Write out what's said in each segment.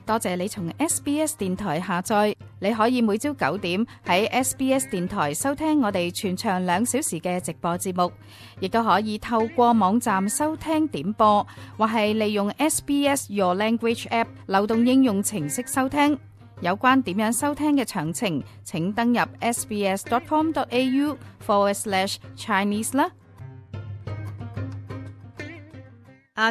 多謝你從 SBS 電台下載，你可以每朝9點喺 SBS 電台收聽我哋全長2小時嘅直播節目，亦都可以透過網站收聽點播，或係利用 SBS Your Language App 流動應用程式收聽。有關點樣收聽嘅詳情，請登入 sbs.com.au/Chinese 啦。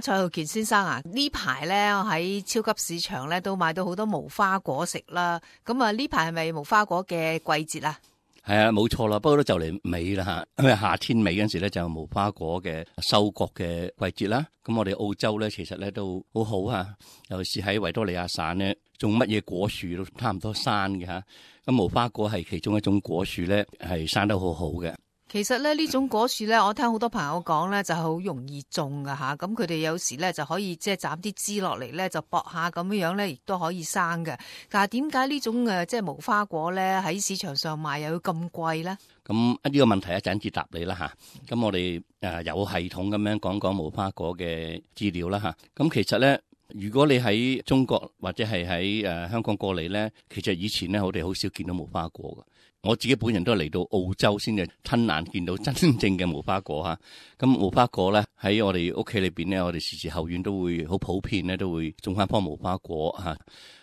蔡浩健先生啊，呢排咧我喺超級市場咧都買到好多無花果食啦。咁啊，呢排係咪無花果嘅季節啊？係啊，冇錯啦，不過都就嚟尾啦吓，因為夏天尾嗰陣時咧就有無花果嘅收割嘅季節啦。咁我哋澳洲咧其實咧都好好啊，尤其是喺維多利亞省咧，種乜嘢果樹都差唔多生嘅吓。咁無花果係其中一種果樹咧，係生得好好嘅。其實咧呢種果樹咧，我聽好多朋友講咧，就係好容易種噶吓。咁佢哋有時咧就可以即係斬啲枝落嚟咧，就駁下咁樣樣咧，亦都可以生嘅。但係點解呢種即係無花果咧喺市場上賣又要咁貴咧？咁呢個問題一陣至答你啦吓。咁我哋有系統咁樣講講無花果嘅資料啦吓。咁其實咧，如果你喺中國或者係喺香港過嚟咧，其實以前咧我哋好少見到無花果嘅。我自己本人都係嚟到澳洲先至親眼見到真正嘅無花果嚇。咁無花果咧喺我哋屋企裏邊咧，我哋時時後院都會好普遍咧，都會種翻棵無花果嚇。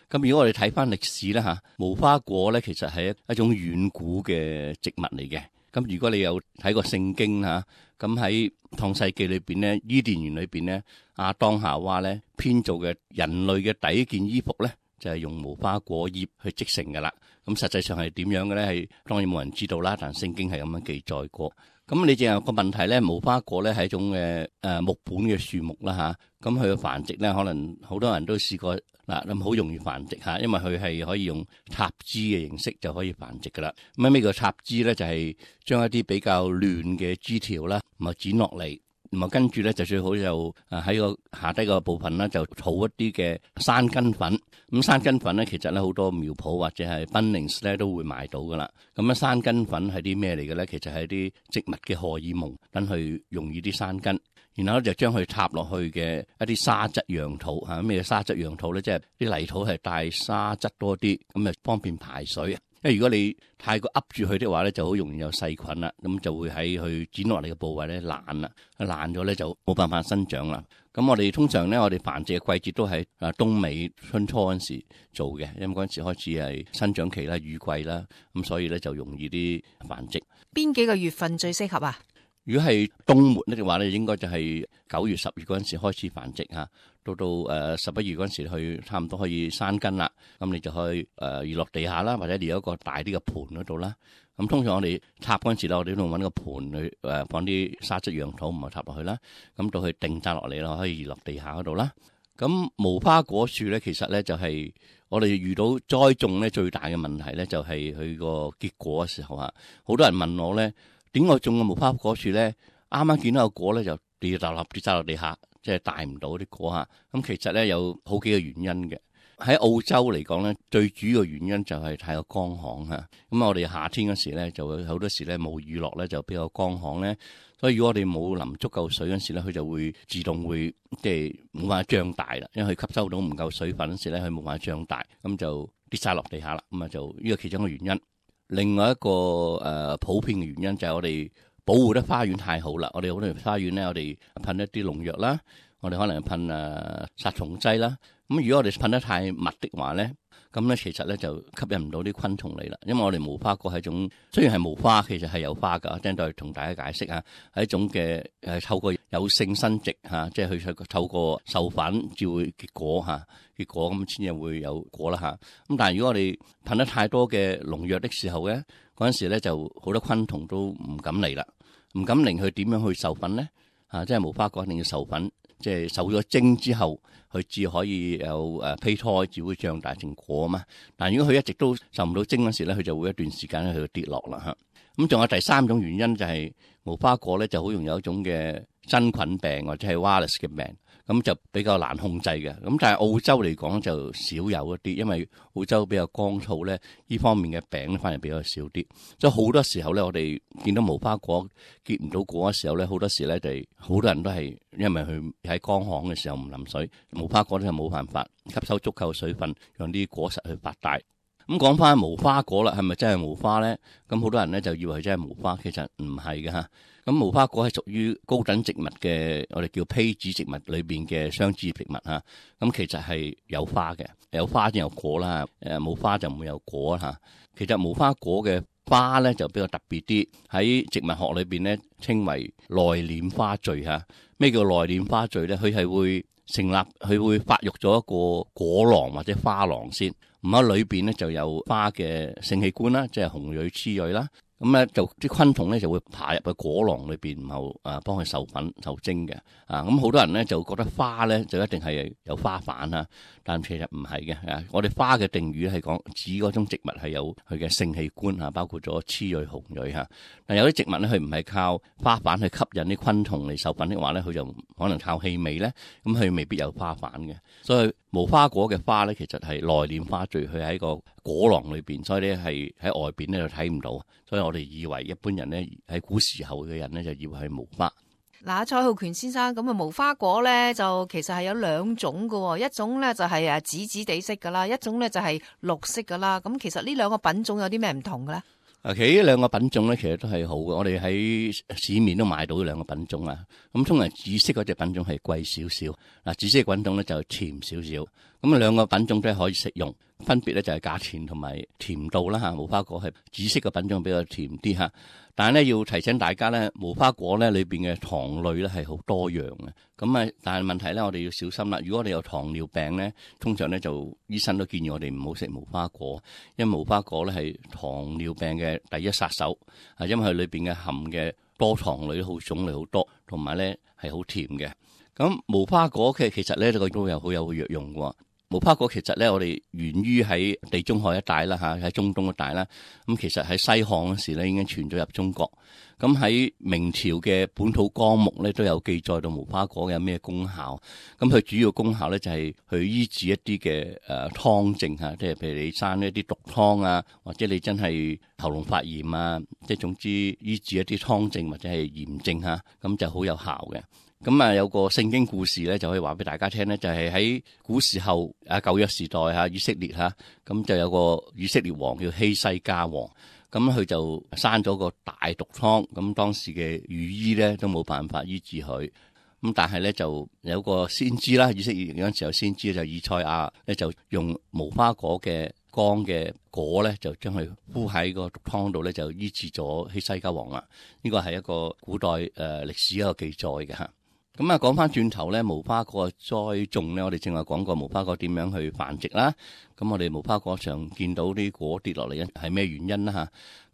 咁如果我哋睇翻歷史咧嚇，無花果咧其實係一種遠古嘅植物嚟嘅。咁如果你有睇過聖經嚇，咁喺創世記裏邊咧，伊甸園裏邊咧，亞當夏娃咧編造嘅人類嘅第一件衣服咧，就係用無花果葉去織成㗎啦。咁實際上係點樣嘅咧？係當然冇人知道啦，但聖經係咁樣記載過。咁你淨有個問題咧，無花果咧係一種木本嘅樹木啦嚇。咁佢嘅繁殖咧，可能好多人都試過嗱，咁好容易繁殖嚇，因為佢係可以用插枝嘅形式就可以繁殖㗎啦。咁咩叫插枝咧？就係將一啲比較亂嘅枝條啦，咁啊剪落嚟。咁啊，跟住咧就最好就喺個下低個部分咧就儲一啲嘅山根粉。咁山根粉咧，其實咧好多苗圃或者係 Bunnings 咧都會買到噶啦。咁啊，山根粉係啲咩嚟嘅咧？其實係啲植物嘅荷爾蒙，等佢容易啲生根。然後咧就將佢插落去嘅一啲沙質樣土嚇。咩沙質樣土咧？即係啲泥土係帶沙質多啲，咁啊方便排水。因為如果你太過噏住佢的話咧，就好容易有細菌啦，咁就會喺佢剪落嚟嘅部位咧爛啦，爛咗咧就冇辦法生長啦。咁我哋通常咧，我哋繁殖嘅季節都係冬尾春初嗰陣時做嘅，因為嗰陣時開始係生長期啦、雨季啦，咁所以咧就容易啲繁殖。邊幾個月份最適合啊？如果係冬末咧嘅話咧，應該就係9月、10月嗰陣時開始繁殖嚇，到11月嗰陣時去差唔多可以生根啦。咁你就可以移落地下啦，或者移一個大啲嘅盤嗰度啦。咁通常我哋插嗰陣時咧，我哋都揾個盤去放啲沙質樣土，唔係插落去啦。咁到佢定曬落嚟啦，可以移落地下嗰度啦。咁無花果樹咧，其實咧就係我哋遇到栽種咧最大嘅問題咧，就係佢個結果嘅時候啊。好多人問我咧，點解種個無花果樹咧，啱啱見到個果咧就跌曬落地下，即係帶唔到啲果嚇。咁其實咧有好幾個原因嘅。喺澳洲嚟講咧，最主要嘅原因就係太過乾旱嚇。咁我哋夏天嗰時咧，就會好多時咧冇雨落咧，就比較乾旱咧。所以如果我哋冇淋足夠水嗰時咧，佢就會自動會即係冇辦法脹大啦。因為佢吸收到唔夠水分嗰時咧，佢冇辦法脹大，咁就跌晒落地下啦。咁啊就呢個其中一個原因。另外一個普遍嘅原因就係我哋保護得花園太好啦。我哋好多花園咧，我哋噴一啲農藥啦，我哋可能噴殺蟲劑啦。咁如果我哋噴得太密的話咧，咁咧其實咧就吸引唔到啲昆蟲嚟啦。因為我哋無花果係一種雖然係無花，其實係有花㗎。等陣再同大家解釋下，係一種嘅透過有性生殖嚇，即係佢透過授粉至會結果嚇，結果咁先至會有果啦嚇。咁但係如果我哋噴得太多嘅農藥的時候咧，嗰陣時咧就好多昆蟲都唔敢嚟啦，唔敢嚟佢點樣去授粉咧？即係無花果一定要授粉。即係受咗精之後，佢至可以有胚胎，至會長大成果啊嘛。但係如果佢一直都受唔到精嗰時咧，佢就會一段時間咧佢就跌落啦嚇。咁仲有第三種原因就係無花果咧就好容易有一種嘅真菌病或者係 Virus 嘅病。咁就比較難控制嘅。咁但係澳洲嚟講就少有一啲，因為澳洲比較乾燥咧，呢方面嘅病咧反而比較少啲。所以好多時候咧，我哋見到無花果結唔到果嘅時候咧，好多時咧就好多人都係因為佢喺乾旱嘅時候唔淋水，無花果咧就冇辦法吸收足夠水分，讓啲果實去發大。咁講翻無花果啦，係咪真係無花咧？咁好多人咧就以為真係無花，其實唔係嘅吓。咁無花果係屬於高等植物嘅，我哋叫披子植物裏邊嘅雙子葉植物吓。咁其實係有花嘅，有花先有果啦。冇花就唔會有果吓。其實無花果嘅花咧就比較特別啲，喺植物學裏邊咧稱為內斂花序吓。咩叫內斂花序咧？佢係會成立，佢會發育咗一個果囊或者花囊先。咁喺裏邊咧就有花嘅性器官啦，即係雄蕊、雌蕊啦。咁咧就啲昆蟲咧就會爬入去果囊裏邊，然後幫佢授粉受精嘅。咁好多人咧就覺得花咧就一定係有花瓣啊，但其實唔係嘅。我哋花嘅定義係講指嗰種植物係有佢嘅性器官啊，包括咗雌蕊、雄蕊嚇。但有啲植物咧佢唔係靠花瓣去吸引啲昆蟲嚟授粉的話咧，佢就可能靠氣味咧，咁佢未必有花瓣嘅。所以無花果嘅花咧其實係內斂花序，佢喺個果囊裏邊，所以咧係喺外邊咧就睇唔到。所以我哋以為一般人咧喺古時候嘅人咧就以為係無花。嗱，蔡浩權先生，咁啊無花果咧就其實係有兩種噶，一種咧就係紫紫地色噶啦，一種咧就係綠色噶啦。咁其實呢兩個品種有啲咩唔同嘅咧？其實呢兩個品種咧，其實都係好嘅。我哋喺市面都買到呢兩個品種啊。咁通常紫色嗰隻品種係貴少少，嗱紫色嘅品種咧就甜少少。咁兩個品種都係可以食用，分別咧就係價錢同埋甜度啦嚇。無花果係紫色嘅品種比較甜啲嚇，但係咧要提醒大家咧，無花果咧裏邊嘅糖類咧係好多樣嘅。咁但係問題咧，我哋要小心啦。如果我哋有糖尿病咧，通常咧就醫生都建議我哋唔好食無花果，因為無花果咧係糖尿病嘅第一殺手，因為佢裏邊嘅含嘅多糖類好種類好多，同埋咧係好甜嘅。咁無花果其實咧都有好有藥用嘅。無花果其實咧，我哋源於喺地中海一帶啦嚇，喺中東一帶啦。咁其實喺西漢嗰時咧已經傳咗入中國。咁喺明朝嘅本土綱目咧都有記載到無花果有咩功效。咁佢主要功效咧就係去醫治一啲嘅湯症嚇，即係譬如你生一啲毒湯啊，或者你真係喉嚨發炎啊，即係總之醫治一啲湯症或者係炎症嚇，咁就好有效嘅。咁有個聖經故事咧，就可以話俾大家聽咧，就係喺古時候舊約時代以色列咁就有個以色列王叫希西家王，咁佢就生咗個大毒瘡，咁當時嘅御醫咧都冇辦法醫治佢，咁但係咧就有個先知啦，以色列嗰陣時候先知就以賽亞咧就用無花果嘅乾嘅果咧，就將佢敷喺個毒瘡度咧，就醫治咗希西家王啦。呢個係一個古代歷史一個記載嘅嚇。咁講翻轉頭咧，無花果嘅栽種咧，我哋正話講過無花果點樣去繁殖啦。咁我哋無花果上見到啲果跌落嚟係咩原因啦嚇？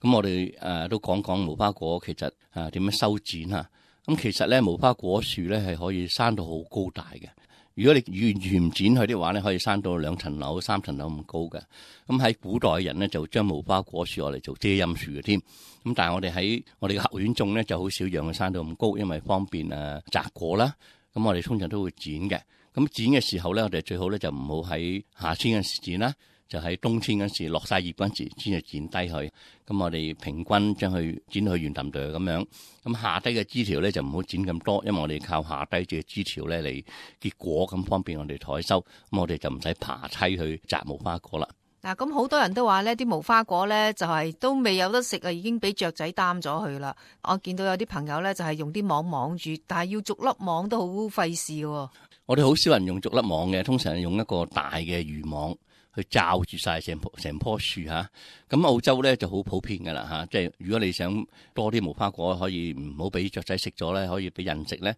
咁我哋都講講無花果其實點樣修剪嚇。咁其實咧無花果樹咧係可以生到好高大嘅。如果你完全唔剪佢的話咧，可以生到2層樓、3層樓咁高嘅。咁喺古代人咧就將無花果樹落嚟做遮陰樹嘅添。咁但係我哋喺我哋嘅後院種咧就好少讓佢生到咁高，因為方便摘果啦。咁我哋通常都會剪嘅。咁剪嘅時候咧，我哋最好咧就唔好喺夏天嘅時剪啦，就喺冬天嗰時落晒葉嗰時先至剪低佢。咁我哋平均將佢剪去圓揼哚咁樣。咁下低嘅枝條咧就唔好剪咁多，因為我哋靠下低嘅枝條咧嚟結果，咁方便我哋採收。咁我哋就唔使爬梯去摘無花果啦。嗱，咁好多人都話呢啲無花果咧就係都未有得食啊，已經俾雀仔擔咗去啦。我見到有啲朋友咧就係用啲網網住，但係要逐粒網都好費事喎。我哋好少人用逐粒網嘅，通常係用一個大嘅漁網去罩住晒成棵樹嚇。咁澳洲咧就好普遍㗎啦嚇，即係如果你想多啲無花果，可以唔好俾雀仔食咗咧，可以俾人食咧，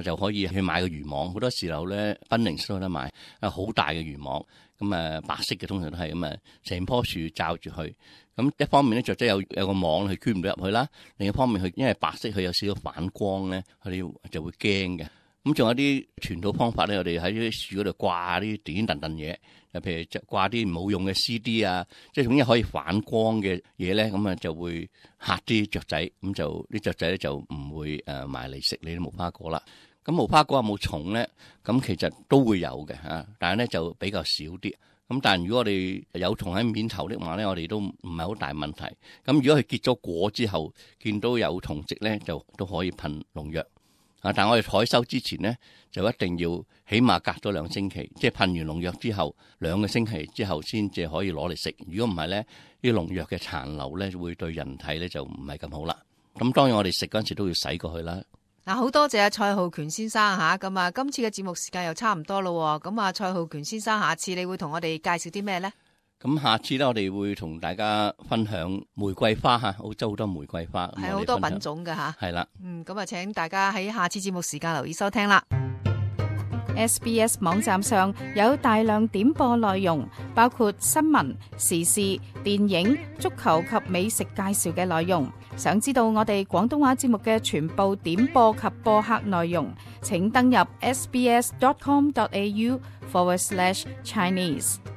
就可以去買個漁網。好多時候咧，賓寧都有得買，好大嘅漁網。咁白色嘅通常都係咁成棵樹罩住佢。咁一方面咧，雀仔有個網佢捐唔到入去啦；另一方面佢因為白色佢有少少反光咧，佢哋就會驚嘅。咁仲有啲傳統方法咧，我哋喺啲樹嗰度掛啲點點燉嘢，譬如掛啲冇用嘅 CD 啊，即係總之可以反光嘅嘢咧，咁就會嚇啲雀仔，咁就啲雀仔咧就唔會埋嚟食你啲無花果啦。咁無花果有冇蟲咧？咁其實都會有嘅嚇，但係咧就比較少啲。咁但係如果我哋有蟲喺面頭的話咧，我哋都唔係好大問題。咁如果佢結咗果之後，見到有蟲跡咧，就都可以噴農藥。但係我哋採收之前咧，就一定要起碼隔咗2星期，即係噴完農藥之後2個星期之後先至可以攞嚟食。如果唔係咧，啲農藥嘅殘留咧會對人體咧就唔係咁好啦。咁當然我哋食嗰陣時都要洗過去啦。嗱，好多謝阿蔡浩權先生吓，咁啊，今次嘅節目時間又差唔多咯，咁啊，蔡浩權先生，下次你會同我哋介紹啲咩呢？咁下次咧，我哋會同大家分享玫瑰花吓，澳洲好多玫瑰花，係好多品種嘅吓。係啦，咁啊，請大家喺下次節目時間留意收聽啦。SBS 網站上有大量點播內容，包括新聞、時事、電影、足球及美食介紹嘅內容。想知道我哋廣東話節目嘅全部點播及播客內容，請登入sbs.com.au/Chinese。